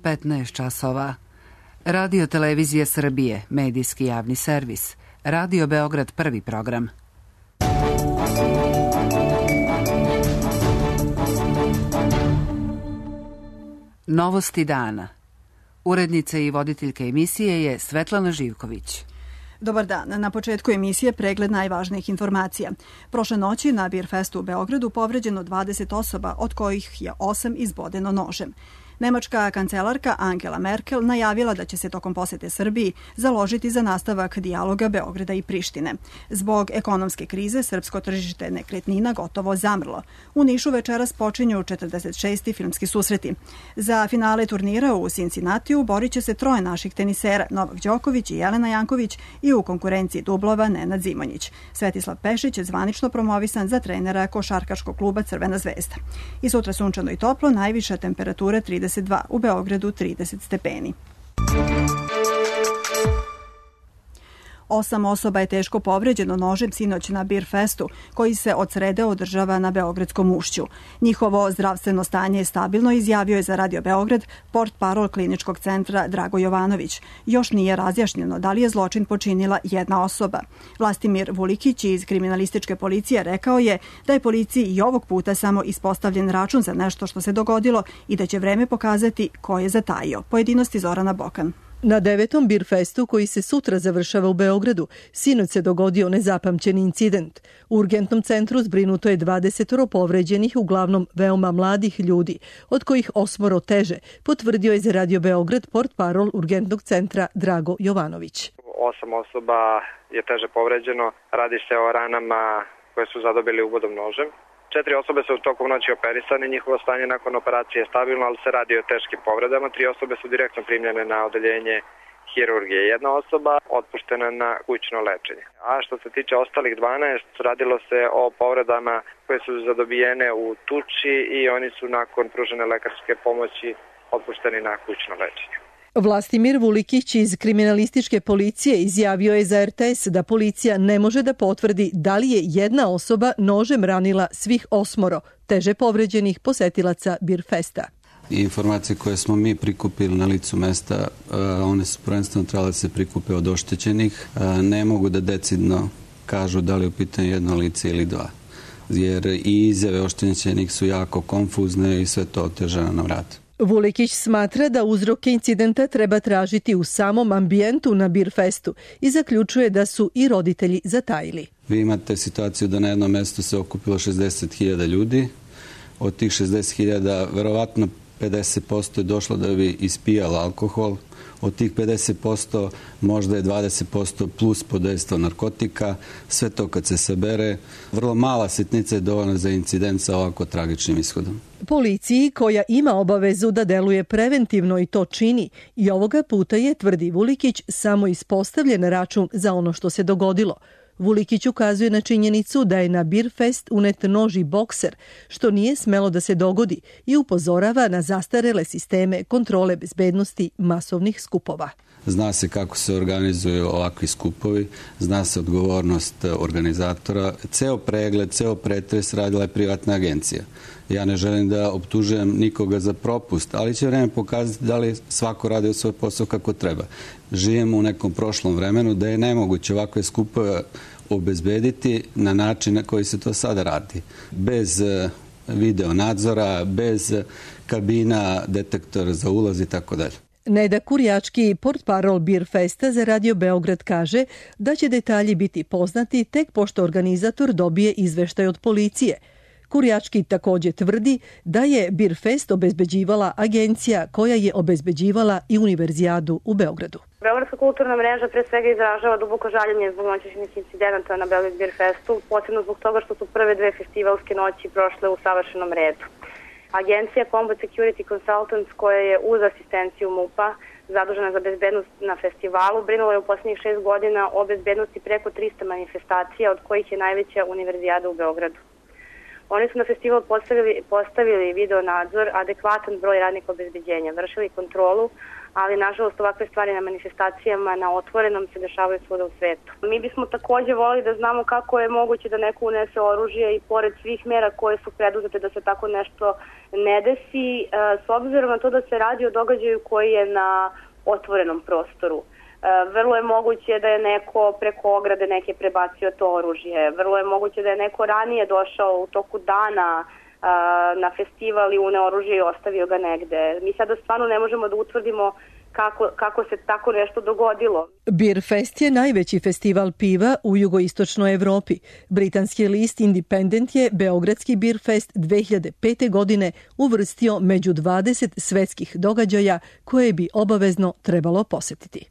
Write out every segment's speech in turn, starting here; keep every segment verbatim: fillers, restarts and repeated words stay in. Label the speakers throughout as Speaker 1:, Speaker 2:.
Speaker 1: petnaest časova. Radio Televizija Srbije, medijski javni servis. Radio Beograd prvi program. Novosti dana. Urednica i voditeljka emisije je Svetlana Živković.
Speaker 2: Dobar dan. Na početku emisije pregled najvažnijih informacija. Prošle noći na Birfestu u Beogradu povređeno dvadeset osoba, od kojih je osam izbodeno nožem. Nemačka kancelarka Angela Merkel najavila da će se tokom posete Srbiji založiti za nastavak dijaloga Beograda i Prištine. Zbog ekonomske krize srpsko tržište nekretnina gotovo zamrlo. U Nišu večeras počinju četrdeset šesti filmski susreti. Za finale turnira u Cincinnatiju borit će se troje naših tenisera, Novak Đoković i Jelena Janković, i u konkurenciji dublova Nenad Zimonjić. Svetislav Pešić je zvanično promovisan za trenera košarkaškog kluba Crvena zvezda. I sutra sunčano i toplo, najviša temperatura trideset dva, u Beogradu trideset stepeni. Osam osoba je teško povređeno nožem sinoć na Birfestu, koji se od srede održava na Beogradskom ušću. Njihovo zdravstveno stanje je stabilno, izjavio je za Radio Beograd portparol kliničkog centra Drago Jovanović. Još nije razjašnjeno da li je zločin počinila jedna osoba. Vlastimir Vulikić iz kriminalističke policije rekao je da je policiji i ovog puta samo ispostavljen račun za nešto što se dogodilo i da će vreme pokazati ko je zatajio. Pojedinosti Zorana Bokan.
Speaker 3: Na devetom Birfestu, koji se sutra završava u Beogradu, sinoć se dogodio nezapamćeni incident. U urgentnom centru zbrinuto je dvadeset povređenih, uglavnom veoma mladih ljudi, od kojih osmoro teže, potvrdio je za Radio Beograd portparol urgentnog centra Drago Jovanović.
Speaker 4: Osam osoba je teže povređeno, radi se o ranama koje su zadobili ubodom nožem. Četiri osobe su u toku noći operisane, njihovo stanje nakon operacije je stabilno, ali se radi o teškim povredama. Tri osobe su direktno primljene na odeljenje hirurgije. Jedna osoba otpuštena na kućno lečenje. A što se tiče ostalih dvanaest, radilo se o povredama koje su zadobijene u tuči i oni su nakon pružene lekarske pomoći otpušteni na kućno lečenje.
Speaker 3: Vlastimir Vulikić iz kriminalističke policije izjavio je za er te es da policija ne može da potvrdi da li je jedna osoba nožem ranila svih osmoro teže povređenih posetilaca Birfesta.
Speaker 5: Informacije koje smo mi prikupili na licu mesta, one su prvenstveno trebale da se prikupe od oštećenih. Ne mogu da decidno kažu da li je u pitanju jedno lice ili dva, jer i izjave oštećenih su jako konfuzne i sve to otežava nam rad.
Speaker 3: Vulikić smatra da uzroke incidenta treba tražiti u samom ambijentu na Birfestu i zaključuje da su i roditelji zatajili.
Speaker 5: Vi imate situaciju da na jednom mestu se okupilo šezdeset hiljada ljudi. Od tih šezdeset hiljada verovatno pedeset posto je došlo da bi ispijalo alkohol. Od tih pedeset posto možda je dvadeset posto plus podejstvo narkotika. Sve to kad se sabere, vrlo mala sitnica je dovoljna za incident sa ovako tragičnim ishodom.
Speaker 3: Policiji, koja ima obavezu da deluje preventivno i to čini, i ovoga puta je, tvrdi Vulikić, samo ispostavljen račun za ono što se dogodilo. Vulikić ukazuje na činjenicu da je na Birfest unet nož i bokser, što nije smelo da se dogodi, i upozorava na zastarele sisteme kontrole bezbednosti masovnih skupova.
Speaker 5: Zna se kako se organizuju ovakvi skupovi, zna se odgovornost organizatora. Ceo pregled, ceo pretres radila je privatna agencija. Ja ne želim da optužujem nikoga za propust, ali će vreme pokazati da li svako radi svoj posao kako treba. Živimo u nekom prošlom vremenu da je nemoguće ovakve skupove obezbediti na način na koji se to sada radi. Bez video nadzora, bez kabina, detektora za ulaz i tako dalje.
Speaker 3: Neda Kurjački, portparol Birfesta za Radio Beograd, kaže da će detalji biti poznati tek pošto organizator dobije izveštaj od policije. Kurjački također tvrdi da je Birfest obezbeđivala agencija koja je obezbeđivala i Univerzijadu u Beogradu.
Speaker 6: Beogradska kulturna mreža pre svega izražava duboko žaljenje zbog noćnih incidenata na Beograd Birfestu, posebno zbog toga što su prve dve festivalske noći prošle u savršenom redu. Agencija Combat Security Consultants, koja je uz asistenciju MUP-a zadužena za bezbednost na festivalu, brinula je u posljednjih šest godina o bezbednosti preko trista manifestacija, od kojih je najveća Univerzijada u Beogradu. Oni su na festival postavili, postavili video nadzor, adekvatan broj radnika obezbeđenja, vršili kontrolu, ali nažalost ovakve stvari na manifestacijama na otvorenom se dešavaju svuda u svetu. Mi bismo takođe volili da znamo kako je moguće da neko unese oružje i pored svih mera koje su preduzete da se tako nešto ne desi, s obzirom na to da se radi o događaju koji je na otvorenom prostoru. Vrlo je moguće da je neko preko ograde neke prebacio to oružje. Vrlo je moguće da je neko ranije došao u toku dana na festival i uneo oružje i ostavio ga negde. Mi sada stvarno ne možemo da utvrdimo kako, kako se tako nešto dogodilo.
Speaker 3: Beer Fest je najveći festival piva u jugoistočnoj Evropi. Britanski list Independent je Beogradski Beer Fest dve hiljade pete. godine uvrstio među dvadeset svetskih događaja koje bi obavezno trebalo posetiti.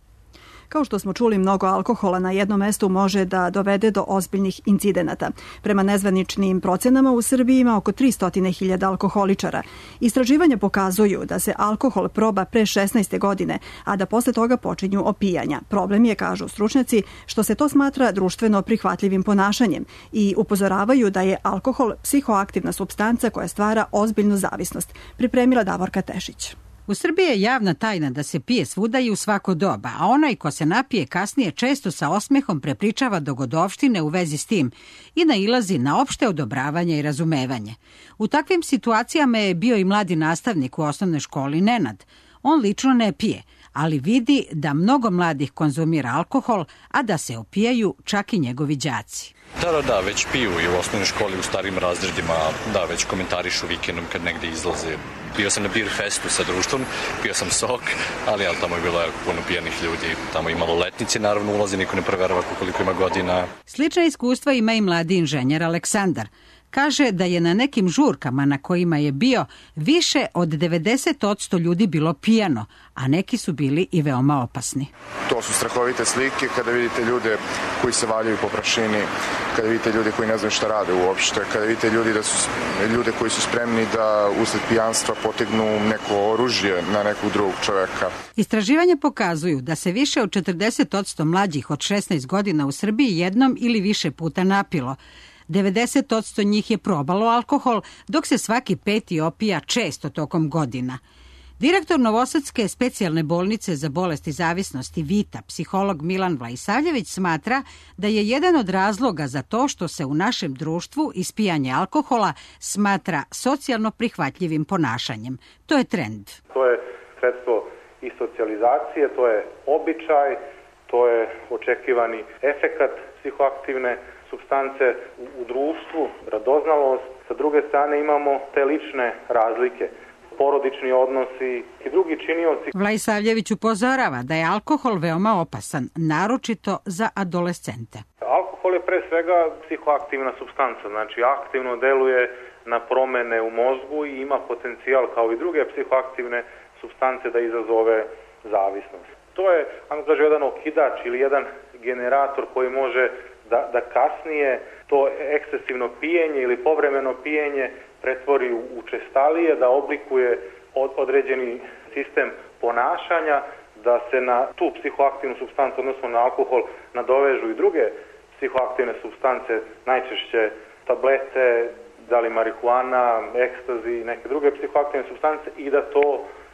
Speaker 2: Kao što smo čuli, mnogo alkohola na jednom mestu može da dovede do ozbiljnih incidenata. Prema nezvaničnim procenama u Srbiji ima oko tristo hiljada alkoholičara. Istraživanja pokazuju da se alkohol proba pre šesnaeste godine, a da posle toga počinju opijanja. Problem je, kažu stručnjaci, što se to smatra društveno prihvatljivim ponašanjem i upozoravaju da je alkohol psihoaktivna supstanca koja stvara ozbiljnu zavisnost. Pripremila Davorka Tešić.
Speaker 7: U Srbiji je javna tajna da se pije svuda i u svako doba, a onaj ko se napije kasnije često sa osmehom prepričava dogodovštine u vezi s tim i nailazi na opšte odobravanje i razumevanje. U takvim situacijama je bio i mladi nastavnik u osnovnoj školi Nenad. On lično ne pije, ali vidi da mnogo mladih konzumira alkohol, a da se opijaju čak i njegovi đaci.
Speaker 8: Da, da, da, već piju i u osnovnoj školi, u starim razredima, da, već komentarišu vikendom kad negde izlaze. Bio sam na Beer Festu sa društvom, pio sam sok, ali ja, tamo je bilo jako puno pijanih ljudi. Tamo i maloletnici, naravno, ulazi, niko ne proverava koliko ima godina.
Speaker 7: Slična iskustva ima i mladi inženjer Aleksandar. Kaže da je na nekim žurkama na kojima je bio više od devedeset posto ljudi bilo pijano, a neki su bili i veoma opasni.
Speaker 9: To su strahovite slike kada vidite ljude koji se valjaju po prašini, kada vidite ljude koji ne znaju šta rade uopšte, kada vidite ljudi da su, ljude koji su spremni da usled pijanstva potegnu neko oružje na nekog drugog čoveka.
Speaker 7: Istraživanja pokazuju da se više od četrdeset posto mlađih od šesnaest godina u Srbiji jednom ili više puta napilo. devedeset posto njih je probalo alkohol, dok se svaki peti opija često tokom godina. Direktor Novosadske specijalne bolnice za bolesti zavisnosti Vita, psiholog Milan Vlajsavljević, smatra da je jedan od razloga za to što se u našem društvu ispijanje alkohola smatra socijalno prihvatljivim ponašanjem. To je trend.
Speaker 10: To je sredstvo i socijalizacije, to je običaj, to je očekivani efekat psihoaktivne supstance u, u društvu, radoznalost. Sa druge strane imamo te lične razlike, porodični odnosi i drugi činioci.
Speaker 7: Vlajsavljević upozorava da je alkohol veoma opasan, naročito za adolescente.
Speaker 10: Alkohol je pre svega psihoaktivna supstanca, znači aktivno deluje na promene u mozgu i ima potencijal kao i druge psihoaktivne supstance da izazove zavisnost. To je, ajmo kaže, jedan okidač ili jedan generator koji može Da, da kasnije to ekscesivno pijenje ili povremeno pijenje pretvori u učestalije, da oblikuje od, određeni sistem ponašanja, da se na tu psihoaktivnu supstancu, odnosno na alkohol, nadovežu i druge psihoaktivne supstance, najčešće tablete, da li marihuana, ekstazi, neke druge psihoaktivne supstance i da to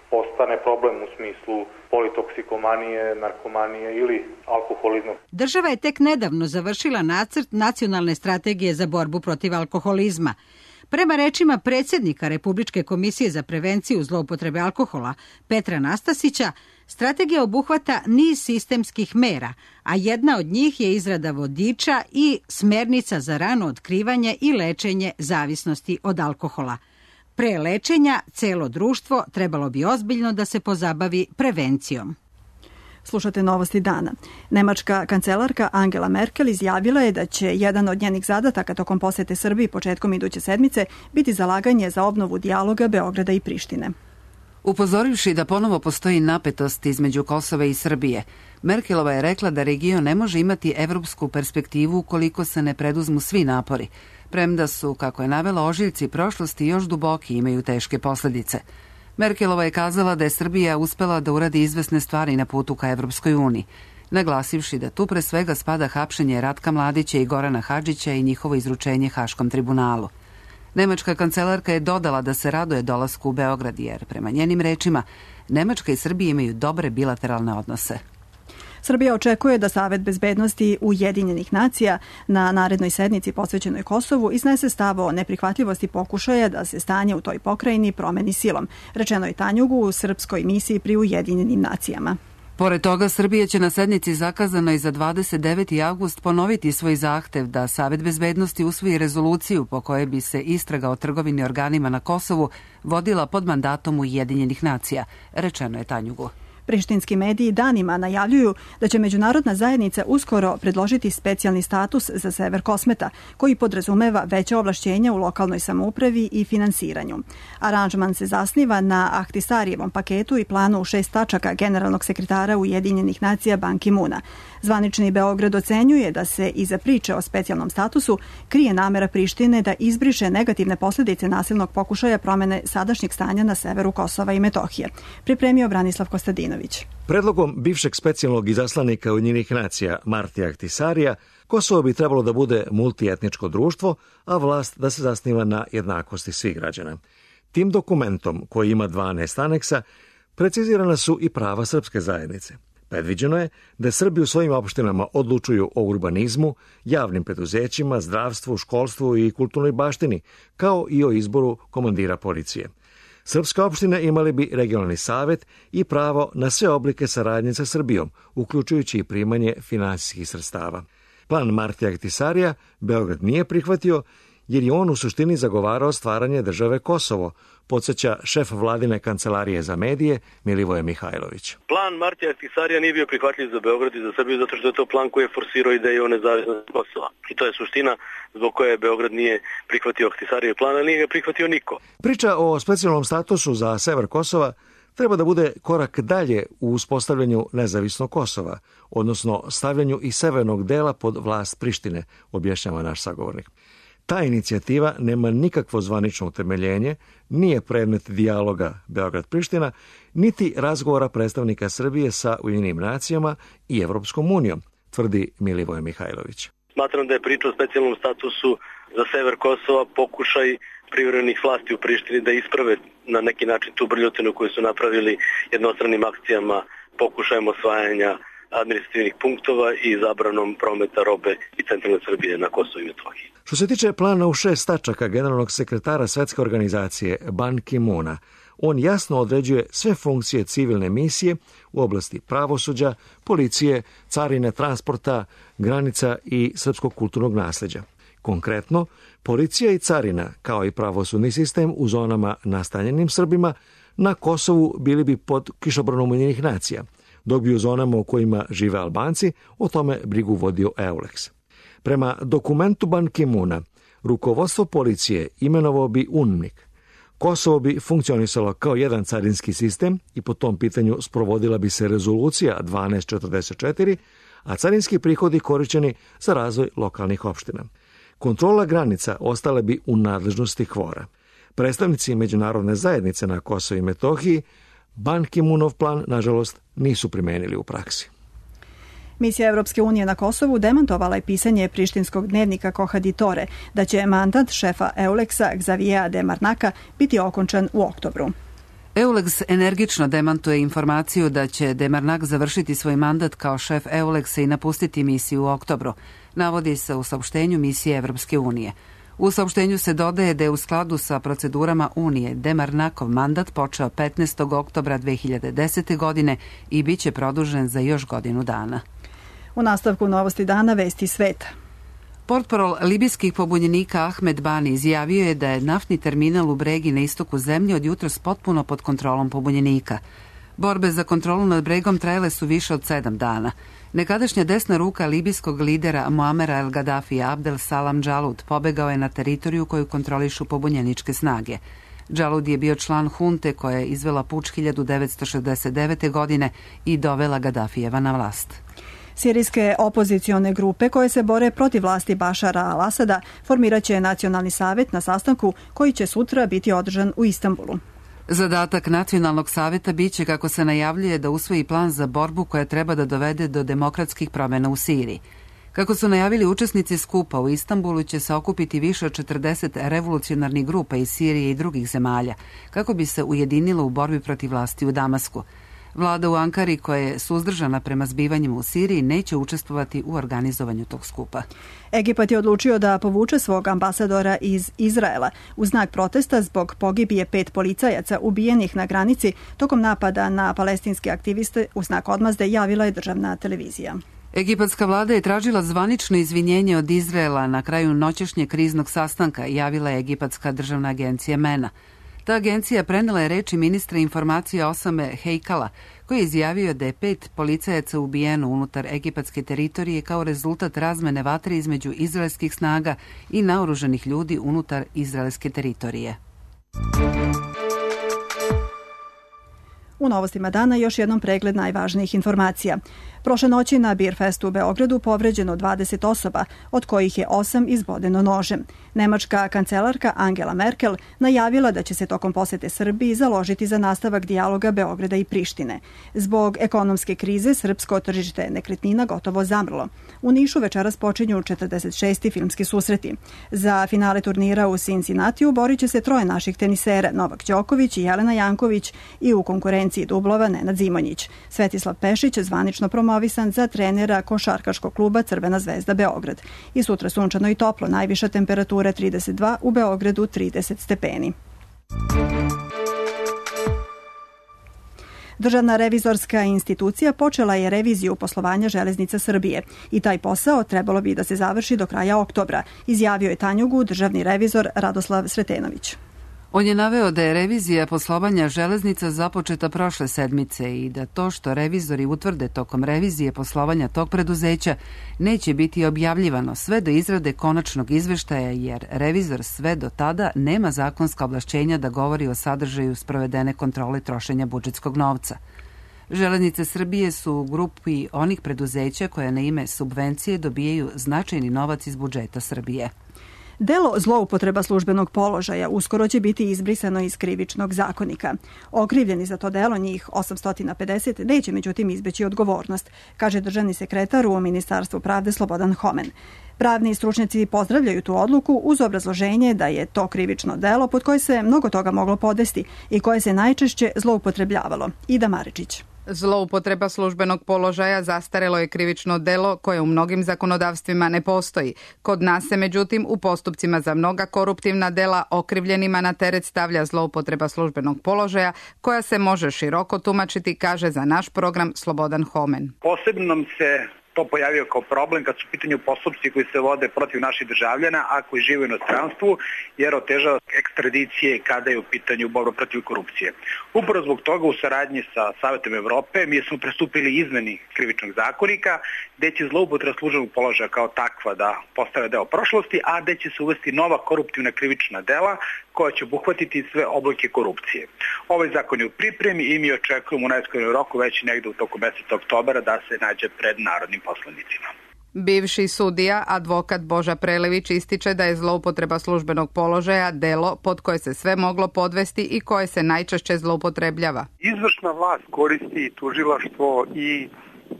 Speaker 10: postane problem u smislu politoksikomanije, narkomanije ili alkoholizma.
Speaker 7: Država je tek nedavno završila nacrt nacionalne strategije za borbu protiv alkoholizma. Prema rečima predsjednika Republičke komisije za prevenciju zloupotrebe alkohola Petra Nastasića, strategija obuhvata niz sistemskih mera, a jedna od njih je izrada vodiča i smernica za rano otkrivanje i lečenje zavisnosti od alkohola. Pre lečenja, celo društvo trebalo bi ozbiljno da se pozabavi prevencijom.
Speaker 2: Slušate Novosti dana. Nemačka kancelarka Angela Merkel izjavila je da će jedan od njenih zadataka tokom posete Srbiji početkom iduće sedmice biti zalaganje za obnovu dijaloga Beograda i Prištine.
Speaker 1: Upozorivši da ponovo postoji napetost između Kosova i Srbije, Merkelova je rekla da region ne može imati evropsku perspektivu ukoliko se ne preduzmu svi napori, premda su, kako je navela, ožiljci prošlosti još duboki i imaju teške posljedice. Merkelova je kazala da je Srbija uspela da uradi izvesne stvari na putu ka Evropskoj uniji, naglasivši da tu pre svega spada hapšenje Ratka Mladića i Gorana Hadžića i njihovo izručenje Haškom tribunalu. Nemačka kancelarka je dodala da se raduje dolasku u Beograd jer, prema njenim rečima, Nemačka i Srbija imaju dobre bilateralne odnose.
Speaker 2: Srbija očekuje da Savet bezbednosti Ujedinjenih nacija na narednoj sednici posvećenoj Kosovu iznese stav o neprihvatljivosti pokušaja da se stanje u toj pokrajini promeni silom, rečeno je Tanjugu u srpskoj misiji pri Ujedinjenim nacijama.
Speaker 1: Pored toga, Srbija će na sednici zakazanoj za dvadeset deveti avgust ponoviti svoj zahtev da Savet bezbednosti usvoji rezoluciju po kojoj bi se istraga o trgovini organima na Kosovu vodila pod mandatom Ujedinjenih nacija, rečeno je Tanjugu.
Speaker 2: Prištinski mediji danima najavljuju da će međunarodna zajednica uskoro predložiti specijalni status za sever Kosmeta, koji podrazumeva veće ovlašćenja u lokalnoj samoupravi i finansiranju. Aranžman se zasniva na Ahtisarijevom paketu i planu u šest tačaka generalnog sekretara Ujedinjenih nacija Ban Ki-moona. Zvanični Beograd ocenjuje da se iza priče o specijalnom statusu krije namera Prištine da izbriše negativne posljedice nasilnog pokušaja promene sadašnjeg stanja na severu Kosova i Metohije. Pripremio Branislav Kostadinović.
Speaker 11: Predlogom bivšeg specijalnog izaslanika Ujedinjenih nacija Martija Ahtisarija, Kosovo bi trebalo da bude multietničko društvo, a vlast da se zasniva na jednakosti svih građana. Tim dokumentom, koji ima dvanaest aneksa, precizirana su i prava srpske zajednice. Predviđeno je da Srbi u svojim opštinama odlučuju o urbanizmu, javnim preduzećima, zdravstvu, školstvu i kulturnoj baštini, kao i o izboru komandira policije. Srpske opštine imali bi regionalni savet i pravo na sve oblike saradnje sa Srbijom, uključujući i primanje finansijskih sredstava. Plan Martija Ahtisarija Beograd nije prihvatio, jer je on u suštini zagovarao stvaranje države Kosovo, podsjeća šef vladine kancelarije za medije Milivoje Mihajlović.
Speaker 12: Plan Martija Ahtisarija nije bio prihvatljiv za Beograd i za Srbiju zato što je to plan koji je forsirao ideju o nezavisnosti Kosova. I to je suština zbog koje Beograd nije prihvatio Ahtisarijev plan, ali nije ga prihvatio niko.
Speaker 11: Priča o specijalnom statusu za sever Kosova treba da bude korak dalje u uspostavljanju nezavisnog Kosova, odnosno stavljanju i severnog dela pod vlast Prištine, objašnjava naš sagovornik. Ta inicijativa nema nikakvo zvanično utemeljenje, nije predmet dijaloga Beograd-Priština, niti razgovora predstavnika Srbije sa Ujedinjenim nacijama i Evropskom unijom, tvrdi Milivoje Mihajlović.
Speaker 12: Smatram da je priča o specijalnom statusu za sever Kosova pokušaj privremenih vlasti u Prištini da isprave na neki način tu brljotinu koju su napravili jednostranim akcijama, pokušajem osvajanja administrativnih punktova i zabranom prometa robe i centralne Srbije na Kosovu i Metohiji.
Speaker 11: Što se tiče plana u šest tačaka generalnog sekretara Svetske organizacije Ban Ki-moona, on jasno određuje sve funkcije civilne misije u oblasti pravosuđa, policije, carine, transporta, granica i srpskog kulturnog nasleđa. Konkretno, policija i carina, kao i pravosudni sistem u zonama nastanjenim Srbima, na Kosovu bili bi pod kišobranom Ujedinjenih nacija, dok bi u zonama u kojima žive Albanci o tome brigu vodio EULEX. Prema dokumentu Ban Ki-moona, rukovodstvo policije imenovao bi UNMIK. Kosovo bi funkcionisalo kao jedan carinski sistem i po tom pitanju sprovodila bi se rezolucija dvanaest četrdeset četiri, a carinski prihodi korišćeni za razvoj lokalnih opština. Kontrola granica ostale bi u nadležnosti Hvora. Predstavnici međunarodne zajednice na Kosovu i Metohiji Ban Ki-moonov plan, nažalost, nisu primenili u praksi.
Speaker 2: Misija Evropske unije na Kosovu demantovala je pisanje prištinskog dnevnika Kohaditore da će mandat šefa EULEX-a Xaviera Demarnaka biti okončan u oktobru.
Speaker 1: EULEX energično demantuje informaciju da će Demarnak završiti svoj mandat kao šef EULEX-a i napustiti misiju u oktobru, navodi se u saopštenju misije Evropske unije. U saopštenju se dodaje da je u skladu sa procedurama Unije Demarnakov mandat počeo petnaestog oktobra dve hiljade desete. godine i bit će produžen za još godinu dana.
Speaker 2: U nastavku Novosti dana vesti sveta.
Speaker 1: Portparol libijskih pobunjenika Ahmed Bani izjavio je da je naftni terminal u Bregi na istoku zemlje od jutros potpuno pod kontrolom pobunjenika. Borbe za kontrolu nad Bregom trajale su više od sedam dana. Nekadašnja desna ruka libijskog lidera Muamera El Gaddafija Abdel Salam Džalud pobegao je na teritoriju koju kontrolišu pobunjeničke snage. Džalud je bio član hunte koja je izvela puč hiljadu devetsto šezdeset devete. godine i dovela Gaddafijeva na vlast.
Speaker 2: Sirijske opozicione grupe koje se bore protiv vlasti Bašara al-Asada formiraće nacionalni savet na sastanku koji će sutra biti održan u Istanbulu.
Speaker 1: Zadatak nacionalnog saveta biće, kako se najavljuje, da usvoji plan za borbu koja treba da dovede do demokratskih promjena u Siriji. Kako su najavili učesnici skupa, u Istanbulu će se okupiti više od četrdeset revolucionarnih grupa iz Sirije i drugih zemalja, kako bi se ujedinilo u borbi protiv vlasti u Damasku. Vlada u Ankari, koja je suzdržana prema zbivanjima u Siriji, neće učestvovati u organizovanju tog skupa.
Speaker 2: Egipat je odlučio da povuče svog ambasadora iz Izraela u znak protesta zbog pogibije pet policajaca ubijenih na granici tokom napada na palestinske aktiviste. U znak odmazde javila je državna televizija.
Speaker 1: Egipatska vlada je tražila zvanično izvinjenje od Izraela na kraju noćešnjeg kriznog sastanka, javila je Egipatska državna agencija MENA. Ta agencija prenela je reči ministra informacije Osame Hejkala, koji je izjavio da je pet policajaca ubijeno unutar egipatske teritorije kao rezultat razmene vatre između izraelskih snaga i naoružanih ljudi unutar izraelske teritorije.
Speaker 2: U novostima dana još jednom pregled najvažnijih informacija. Prošle noći na Beer Festu u Beogradu povređeno dvadeset osoba, od kojih je osam izbodeno nožem. Nemačka kancelarka Angela Merkel najavila da će se tokom posete Srbiji založiti za nastavak dijaloga Beograda i Prištine. Zbog ekonomske krize srpsko tržište nekretnina gotovo zamrlo. U Nišu večeras počinju četrdeset šesti filmski susreti. Za finale turnira u Cincinnatiju borit će se troje naših tenisera, Novak Đoković i Jelena Janković, i u konkurenciji dublova Nenad Zimonjić. Svetislav Pešić zvanično promovisan za trenera košarkaškog kluba Crvena zvezda Beograd. I sutra sunčano i toplo, najviša temperatura trideset dva, u Beogradu trideset stepeni. Državna revizorska institucija počela je reviziju poslovanja Železnica Srbije i taj posao trebalo bi da se završi do kraja oktobra, izjavio je Tanjugu državni revizor Radoslav Sretenović.
Speaker 1: On je naveo da je revizija poslovanja železnica započeta prošle sedmice i da to što revizori utvrde tokom revizije poslovanja tog preduzeća neće biti objavljivano sve do izrade konačnog izveštaja, jer revizor sve do tada nema zakonska ovlašćenja da govori o sadržaju sprovedene kontrole trošenja budžetskog novca. Železnice Srbije su u grupi onih preduzeća koja na ime subvencije dobijaju značajni novac iz budžeta Srbije.
Speaker 2: Delo zloupotreba službenog položaja uskoro će biti izbrisano iz krivičnog zakonika. Okrivljeni za to delo, njih osamsto pedeset, neće međutim izbeći odgovornost, kaže državni sekretar u Ministarstvu pravde Slobodan Homen. Pravni stručnjaci pozdravljaju tu odluku uz obrazloženje da je to krivično delo pod koje se mnogo toga moglo podvesti i koje se najčešće zloupotrebljavalo. Ida Maričić.
Speaker 13: Zloupotreba službenog položaja zastarelo je krivično delo koje u mnogim zakonodavstvima ne postoji. Kod nas se međutim u postupcima za mnoga koruptivna dela okrivljenima na teret stavlja zloupotreba službenog položaja koja se može široko tumačiti, kaže za naš program Slobodan Homen.
Speaker 14: Posebno nam se to pojavio kao problem kad su u pitanju postupci koji se vode protiv naših državljana, a koji žive u inostranstvu, jer otežava ekstradicije kada je u pitanju borba protiv korupcije. Upravo zbog toga u saradnji sa Savetom Evrope mi smo pristupili izmeni krivičnog zakonika, gde će zloupotreba službenog položaja kao takva da postane deo prošlosti, a gde će se uvesti nova koruptivna krivična dela koja će obuhvatiti sve oblike korupcije. Ovaj zakon je u pripremi i mi očekujemo u najskorijem roku već negde u toku meseca oktobra da se nađe pred narodnim poslanicima.
Speaker 13: Bivši sudija, advokat Boža Prelević, ističe da je zloupotreba službenog položaja delo pod koje se sve moglo podvesti i koje se najčešće zloupotrebljava.
Speaker 15: Izvršna vlast koristi tužilaštvo i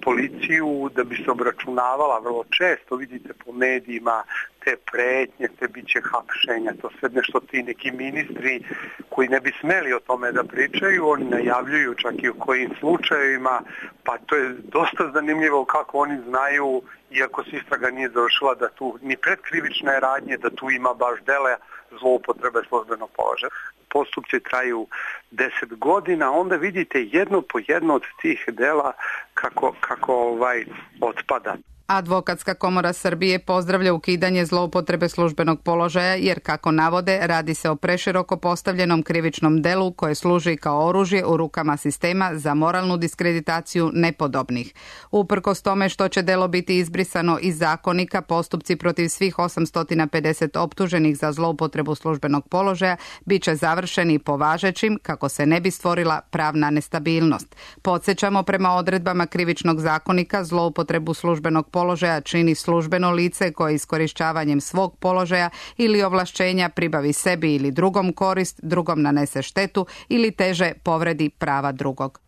Speaker 15: policiju da bi se obračunavala. Vrlo često vidite po medijima te pretnje, te biće hapšenja, to sve nešto ti neki ministri koji ne bi smeli o tome da pričaju, oni najavljuju čak i u kojim slučajevima, pa to je dosta zanimljivo kako oni znaju, iako se istraga nije završila, da tu ni predkrivične radnje, da tu ima baš dele zloupotrebe službenog položaja. Postupci traju deset godina, onda vidite jedno po jedno od tih dela kako, kako ovaj otpada.
Speaker 13: Advokatska komora Srbije pozdravlja ukidanje zloupotrebe službenog položaja jer, kako navode, radi se o preširoko postavljenom krivičnom delu koje služi kao oružje u rukama sistema za moralnu diskreditaciju nepodobnih. Uprkos tome što će delo biti izbrisano iz zakonika, postupci protiv svih osamsto pedeset optuženih za zloupotrebu službenog položaja bit će završeni po važećim kako se ne bi stvorila pravna nestabilnost. Podsjećamo, prema odredbama krivičnog zakonika, zloupotrebu službenog položaja čini službeno lice koje iskorišćavanjem svog položaja ili ovlašćenja pribavi sebi ili drugom korist, drugom nanese štetu ili teže povredi prava drugog.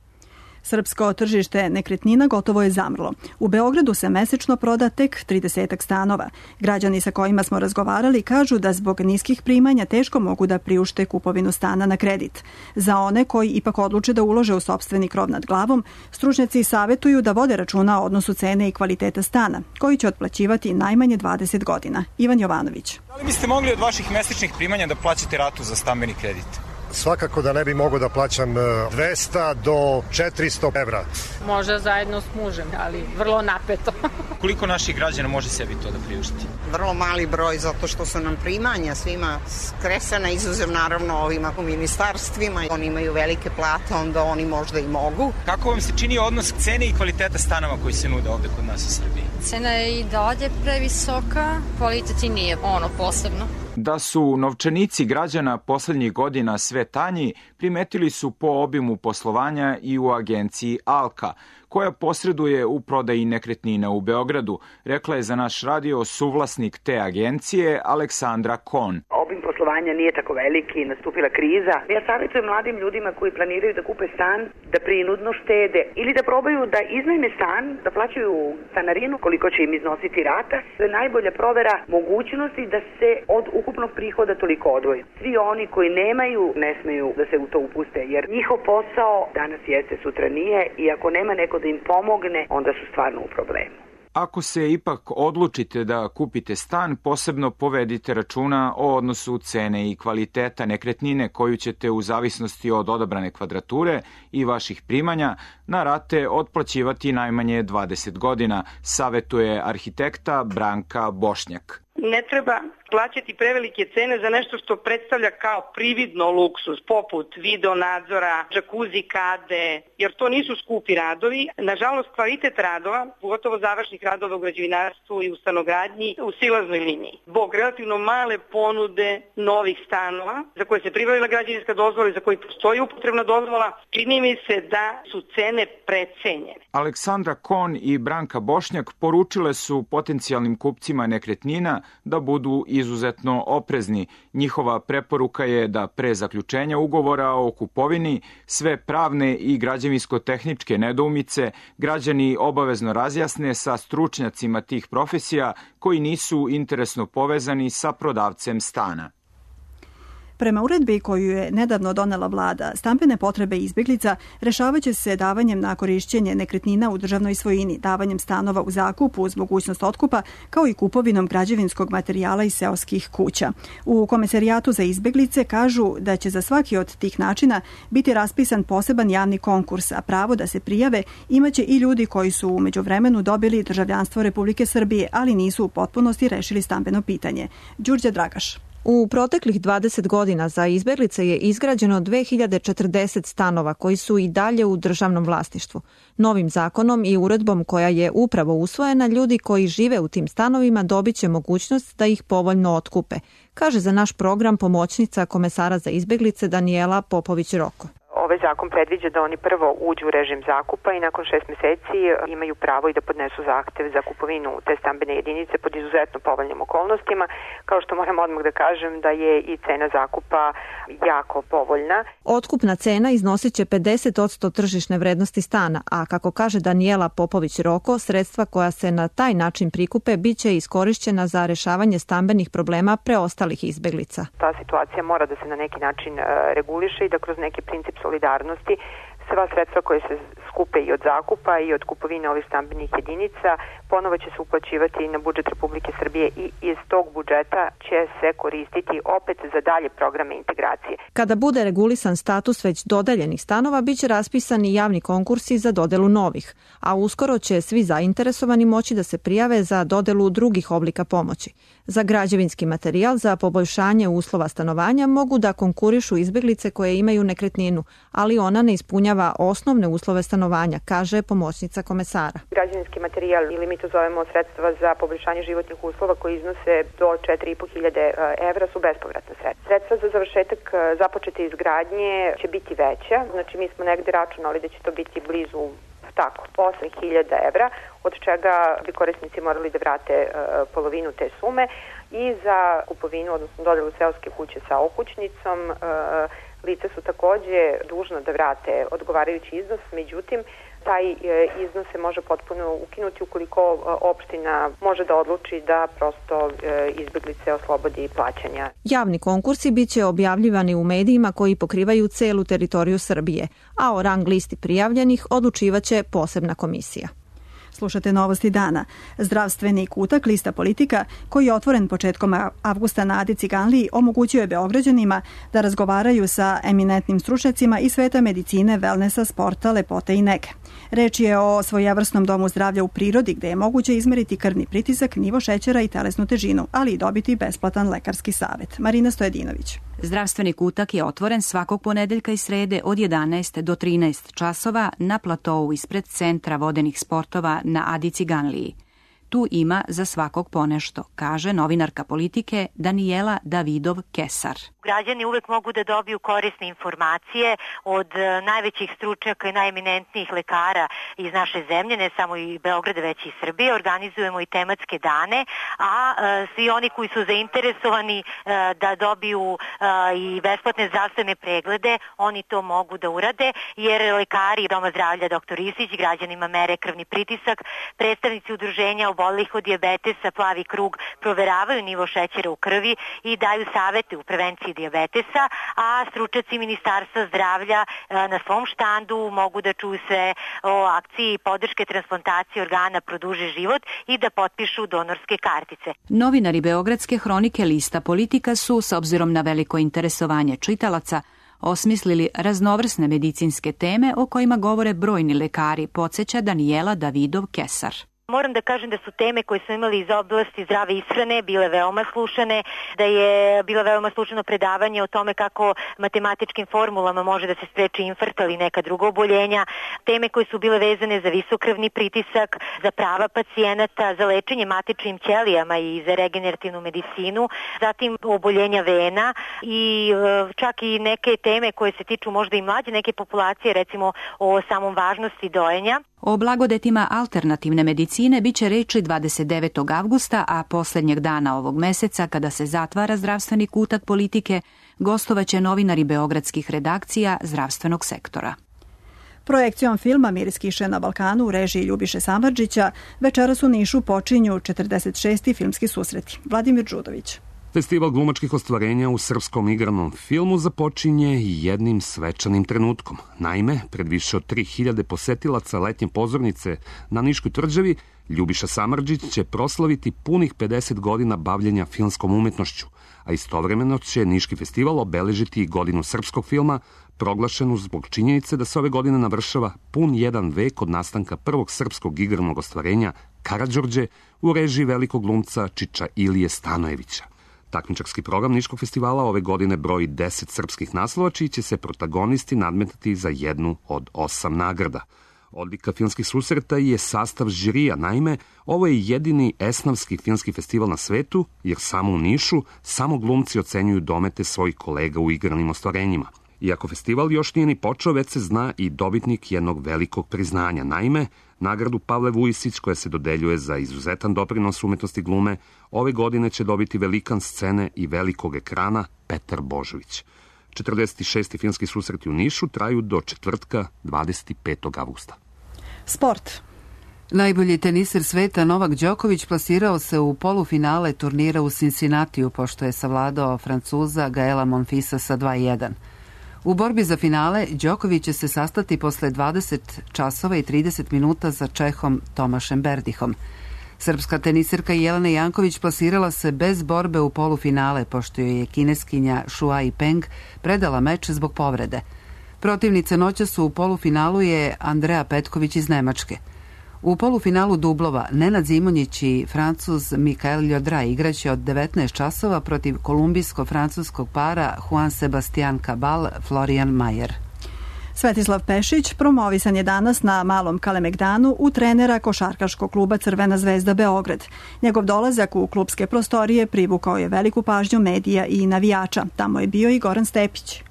Speaker 2: Srpsko tržište nekretnina gotovo je zamrlo. U Beogradu se mesečno proda tek tridesetak stanova. Građani sa kojima smo razgovarali kažu da zbog niskih primanja teško mogu da priušte kupovinu stana na kredit. Za one koji ipak odluče da ulože u sopstveni krov nad glavom, stručnjaci savetuju da vode računa o odnosu cene i kvaliteta stana, koji će otplaćivati najmanje dvadeset godina. Ivan Jovanović.
Speaker 16: Da li biste mogli od vaših mesečnih primanja da plaćate ratu za stambeni kredit?
Speaker 17: Svakako da ne bi mogao da plaćam dvesta do četiristo evra.
Speaker 18: Možda zajedno s mužem, ali vrlo napeto.
Speaker 16: Koliko naših građana može sebi to da priušti?
Speaker 19: Vrlo mali broj, zato što su nam primanja svima skresana, izuzev naravno ovima u ministarstvima. Oni imaju velike plate, onda oni možda i mogu.
Speaker 16: Kako vam se čini odnos cene i kvaliteta stanova koji se nude ovde kod nas u Srbiji?
Speaker 20: Cena je i dalje previsoka, kvalitet i nije ono posebno.
Speaker 21: Da su novčanici građana poslednjih godina sve tanji, primetili su po obimu poslovanja i u agenciji Alka, koja posreduje u prodaji nekretnina u Beogradu, rekla je za naš radio suvlasnik te agencije Aleksandra Kon.
Speaker 22: Obim poslovanja nije tako veliki, nastupila kriza. Ja savjetujem mladim ljudima koji planiraju da kupe stan, da prinudno štede ili da probaju da iznajme stan, da plaćaju stanarinu koliko će im iznositi rata. To je najbolja provera mogućnosti da se od ukupnog prihoda toliko odvoji. Svi oni koji nemaju ne smeju da se u to upuste, jer njihov posao danas jeste, sutra nije i ako nema neko da im pomogne, onda su stvarno u problemu.
Speaker 21: Ako se ipak odlučite da kupite stan, posebno povedite računa o odnosu cene i kvaliteta nekretnine koju ćete u zavisnosti od odabrane kvadrature i vaših primanja na rate otplaćivati najmanje dvadeset godina, savetuje arhitekta Branka Bošnjak.
Speaker 23: Ne treba plaćati prevelike cene za nešto što predstavlja kao prividno luksus, poput video nadzora, džakuzi kade, jer to nisu skupi radovi. Nažalost, kvalitet radova, pogotovo završnih radova u građevinarstvu i u stanogradnji, u silaznoj liniji. Zbog relativno male ponude novih stanova, za koje se pribavila građevinska dozvola i za koji postoji upotrebna dozvola, čini mi se da su cene precenjene.
Speaker 21: Aleksandra Kon i Branka Bošnjak poručile su potencijalnim kupcima nekretnina da budu izuzetno oprezni. Njihova preporuka je da pre zaključenja ugovora o kupovini sve pravne i građevinsko-tehničke nedoumice građani obavezno razjasne sa stručnjacima tih profesija koji nisu interesno povezani sa prodavcem stana.
Speaker 2: Prema uredbi koju je nedavno donela vlada, stambene potrebe izbeglica rešavaće se davanjem na korišćenje nekretnina u državnoj svojini, davanjem stanova u zakup uz mogućnost otkupa, kao i kupovinom građevinskog materijala iz seoskih kuća. U Komesarijatu za izbeglice kažu da će za svaki od tih načina biti raspisan poseban javni konkurs, a pravo da se prijave imaće i ljudi koji su u međuvremenu dobili državljanstvo Republike Srbije, ali nisu u potpunosti rešili stambeno pitanje. Đurđa Dragaš.
Speaker 24: U proteklih dvadeset godina za izbeglice je izgrađeno dve hiljade četrdeset stanova koji su i dalje u državnom vlasništvu. Novim zakonom i uredbom koja je upravo usvojena, ljudi koji žive u tim stanovima dobit će mogućnost da ih povoljno otkupe, kaže za naš program pomoćnica komesara za izbeglice Danijela Popović-Roko.
Speaker 25: Ovaj zakon predviđa da oni prvo uđu u režim zakupa i nakon šest meseci imaju pravo i da podnesu zahtev za kupovinu te stambene jedinice pod izuzetno povoljnim okolnostima. Kao što moram odmah da kažem da je i cena zakupa jako povoljna.
Speaker 24: Otkupna cena iznosit će pedeset posto tržišne vrednosti stana, a kako kaže Danijela Popović-Roko, sredstva koja se na taj način prikupe biće iskorišćena za rešavanje stambenih problema preostalih izbeglica.
Speaker 25: Ta situacija mora da se na neki način reguliše i da kroz neki princip solidarnosti sva sredstva koje se skupe i od zakupa i od kupovine ovih stambenih jedinica ponovo će se uplaćivati na budžet Republike Srbije i iz tog budžeta će se koristiti opet za dalje programe integracije.
Speaker 24: Kada bude regulisan status već dodeljenih stanova, biće raspisani javni konkursi za dodelu novih, a uskoro će svi zainteresovani moći da se prijave za dodelu drugih oblika pomoći. Za građevinski materijal za poboljšanje uslova stanovanja mogu da konkurišu izbeglice koje imaju nekretninu, ali ona ne ispunjava osnovne uslove stanovanja, kaže pomoćnica komesara.
Speaker 25: Građevinski materijal, ili mi to zovemo sredstva za poboljšanje životnih uslova koji iznose do četiri i po hiljade evra, su bespovratna sredstva. Sredstva za završetak započete izgradnje će biti veća, znači mi smo negde računali da će to biti blizu tako, osam hiljada evra, od čega bi korisnici morali da vrate polovinu te sume i za kupovinu, odnosno dodelu seoske kuće sa okućnicom. Lice su takođe dužna da vrate odgovarajući iznos, međutim, taj iznos se može potpuno ukinuti ukoliko opština može da odluči da prosto izbeglice oslobodi plaćanja.
Speaker 24: Javni konkursi biće objavljivani u medijima koji pokrivaju celu teritoriju Srbije, a o rang listi prijavljenih odlučivaće posebna komisija.
Speaker 2: Slušate Novosti dana. Zdravstveni kutak lista Politika, koji je otvoren početkom avgusta na Adi Ciganliji, omogućio je Beograđanima da razgovaraju sa eminentnim stručnjacima iz sveta medicine, velnesa, sporta, lepote i nege. Reč je o svojevrsnom domu zdravlja u prirodi gde je moguće izmeriti krvni pritisak, nivo šećera i telesnu težinu, ali i dobiti besplatan lekarski savet. Marina Stojedinović.
Speaker 3: Zdravstveni kutak je otvoren svakog ponedeljka i srede od jedanaest do trinaest časova na platovu ispred Centra vodenih sportova na Adi Ciganliji. Tu ima za svakog ponešto, kaže novinarka Politike Danijela Davidov-Kesar.
Speaker 4: Građani uvek mogu da dobiju korisne informacije od najvećih stručnjaka i najeminentnijih lekara iz naše zemlje, ne samo i Beograda, već i Srbije. Organizujemo i tematske dane, a svi oni koji su zainteresovani da dobiju i besplatne zdravstvene preglede, oni to mogu da urade, jer lekari Doma zdravlja doktor Isić građanima mere krvni pritisak, predstavnici udruženja obolelih od dijabetesa Plavi krug proveravaju nivo šećera u krvi i daju savete u prevenciji dijabetesa, a stručnjaci Ministarstva zdravlja na svom štandu mogu da čuju sve o akciji podrške transplantacije organa Produži život i da potpišu donorske kartice.
Speaker 3: Novinari Beogradske hronike lista Politika su, s obzirom na veliko interesovanje čitalaca, osmislili raznovrsne medicinske teme o kojima govore brojni lekari, podsjeća Danijela Davidov-Kesar.
Speaker 4: Moram da kažem da su teme koje smo imali iz oblasti zdrave ishrane bile veoma slušane, da je bilo veoma slušano predavanje o tome kako matematičkim formulama može da se spreči infarkt ili neka druga oboljenja, teme koje su bile vezane za visok krvni pritisak, za prava pacijenata, za lečenje matičnim ćelijama i za regenerativnu medicinu, zatim oboljenja vena i čak i neke teme koje se tiču možda i mlađe neke populacije, recimo o samom važnosti dojenja.
Speaker 3: O blagodetima alternativne medicine biće reči dvadeset devetog avgusta, a poslednjeg dana ovog meseca, kada se zatvara zdravstveni kutak Politike, gostovaće novinari beogradskih redakcija zdravstvenog sektora.
Speaker 2: Projekcijom filma Miris kiše na Balkanu u režiji Ljubiše Samardžića večeras u Nišu počinju četrdeset šesti filmski susreti. Vladimir Đudović.
Speaker 5: Festival glumačkih ostvarenja u srpskom igranom filmu započinje jednim svečanim trenutkom. Naime, pred više od tri hiljade posetilaca letnje pozornice na Niškoj tvrđavi, Ljubiša Samardžić će proslaviti punih pedeset godina bavljenja filmskom umetnošću, a istovremeno će Niški festival obeležiti godinu srpskog filma, proglašenu zbog činjenice da se ove godine navršava pun jedan vek od nastanka prvog srpskog igranog ostvarenja Karađorđe u režiji velikog glumca Čiča Ilije Stanojevića. Takmičarski program Niškog festivala ove godine broji deset srpskih naslova, čiji će se protagonisti nadmetati za jednu od osam nagrada. Odlika filmskih susreta je sastav žirija, naime, ovo je jedini esnavski filmski festival na svetu, jer samo u Nišu samo glumci ocenjuju domete svojih kolega u igranim ostvarenjima. Iako festival još nije ni počeo, već se zna i dobitnik jednog velikog priznanja. Naime, nagradu Pavle Vujisić, koja se dodeljuje za izuzetan doprinos umetnosti glume, ove godine će dobiti velikan scene i velikog ekrana Petar Božović. četrdeset šesti filmski susreti u Nišu traju do četvrtka dvadeset petog avgusta.
Speaker 2: Sport.
Speaker 1: Najbolji teniser sveta Novak Đoković plasirao se u polufinale turnira u Cincinnatiju, pošto je savladao Francuza Gaela Monfisa sa dva jedan. U borbi za finale Đoković će se sastati posle dvadeset časova i trideset minuta za Čehom Tomašem Berdihom. Srpska teniserka Jelena Janković plasirala se bez borbe u polufinale, pošto joj je kineskinja Shuai Peng predala meč zbog povrede. Protivnica noćas u polufinalu je Andrea Petković iz Nemačke. U polufinalu dublova Nenad Zimonjić i Francuz Mikael Ljodra igraće od devetnaest časova protiv kolumbijsko-francuskog para Juan Sebastian Cabal Florian Mayer.
Speaker 2: Svetislav Pešić promovisan je danas na Malom Kalemegdanu u trenera košarkaškog kluba Crvena zvezda Beograd. Njegov dolazak u klubske prostorije privukao je veliku pažnju medija i navijača. Tamo je bio i Goran Stepić.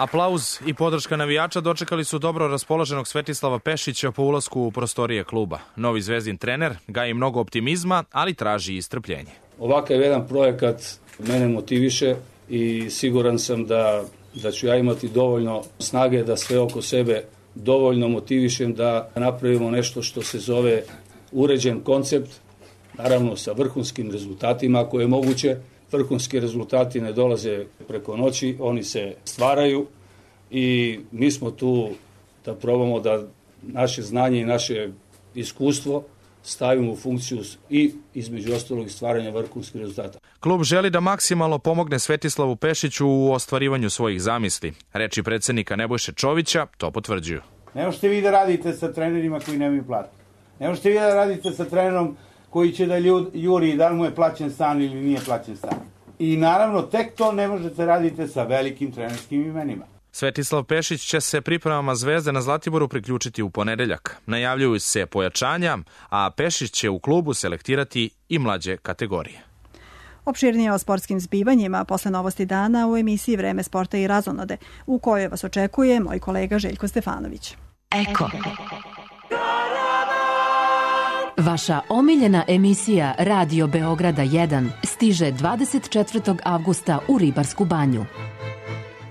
Speaker 6: Aplauz i podrška navijača dočekali su dobro raspoloženog Svetislava Pešića po ulasku u prostorije kluba. Novi zvezdin trener gaji mnogo optimizma, ali traži i strpljenje.
Speaker 7: Ovakav jedan projekat mene motiviše i siguran sam da, da ću ja imati dovoljno snage da sve oko sebe dovoljno motivišem da napravimo nešto što se zove uređen koncept, naravno sa vrhunskim rezultatima ako je moguće. Vrhunski rezultati ne dolaze preko noći, oni se stvaraju i mi smo tu da probamo da naše znanje i naše iskustvo stavimo u funkciju i između ostalog stvaranja vrhunskih rezultata.
Speaker 6: Klub želi da maksimalno pomogne Svetislavu Pešiću u ostvarivanju svojih zamisli. Reči predsednika Nebojše Čovića to potvrđuju.
Speaker 8: Ne možete vi da radite sa trenerima koji nemaju platu. Ne možete vi da radite sa trenerom koji će da ljud, juri da li mu je plaćen stan ili nije plaćen stan. I naravno tek to ne možete raditi sa velikim trenerskim imenima.
Speaker 6: Svetislav Pešić će se pripremama Zvezde na Zlatiboru priključiti u ponedeljak. Najavljuju se pojačanja, a Pešić će u klubu selektirati i mlađe kategorije.
Speaker 2: Opširnije o sportskim zbivanjima posle novosti dana u emisiji Vreme sporta i razonode, u kojoj vas očekuje moj kolega Željko Stefanović.
Speaker 9: Eko. Vaša omiljena emisija Radio Beograda jedan stiže dvadeset četvrtog avgusta u Ribarsku banju.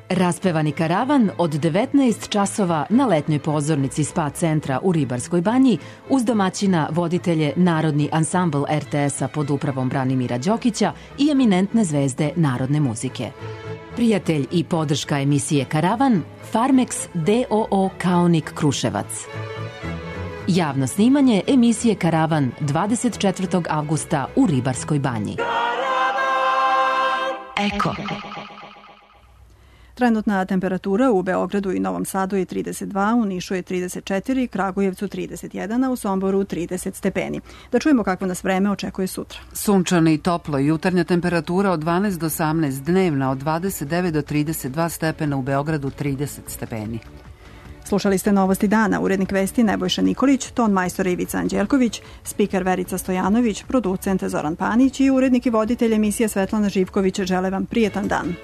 Speaker 9: Raspevani karavan od devetnaest časova na letnjoj pozornici spa centra u Ribarskoj banji uz domaćina voditelje Narodni ansambl er te esa pod upravom Branimira Đokića i eminentne zvezde narodne muzike. Prijatelj i podrška emisije Karavan Farmex d o o Kaonik Kruševac. Javno snimanje emisije Karavan dvadeset četvrtog avgusta u Ribarskoj banji. Eko.
Speaker 2: Trenutna temperatura u Beogradu i Novom Sadu je trideset dva, u Nišu je trideset četiri, Kragujevcu trideset jedan, a u Somboru trideset stepeni. Da čujemo kakvo nas vreme očekuje sutra.
Speaker 1: Sunčano i toplo, jutarnja temperatura od dvanaest do osamnaest, dnevna od dvadeset devet do trideset dva stepena, u Beogradu trideset stepeni.
Speaker 2: Slušali ste novosti dana, urednik vesti Nebojša Nikolić, ton majstor Ivica Anđelković, spiker Verica Stojanović, producent Zoran Panić i urednik i voditelj emisije Svetlana Živković žele vam prijetan dan.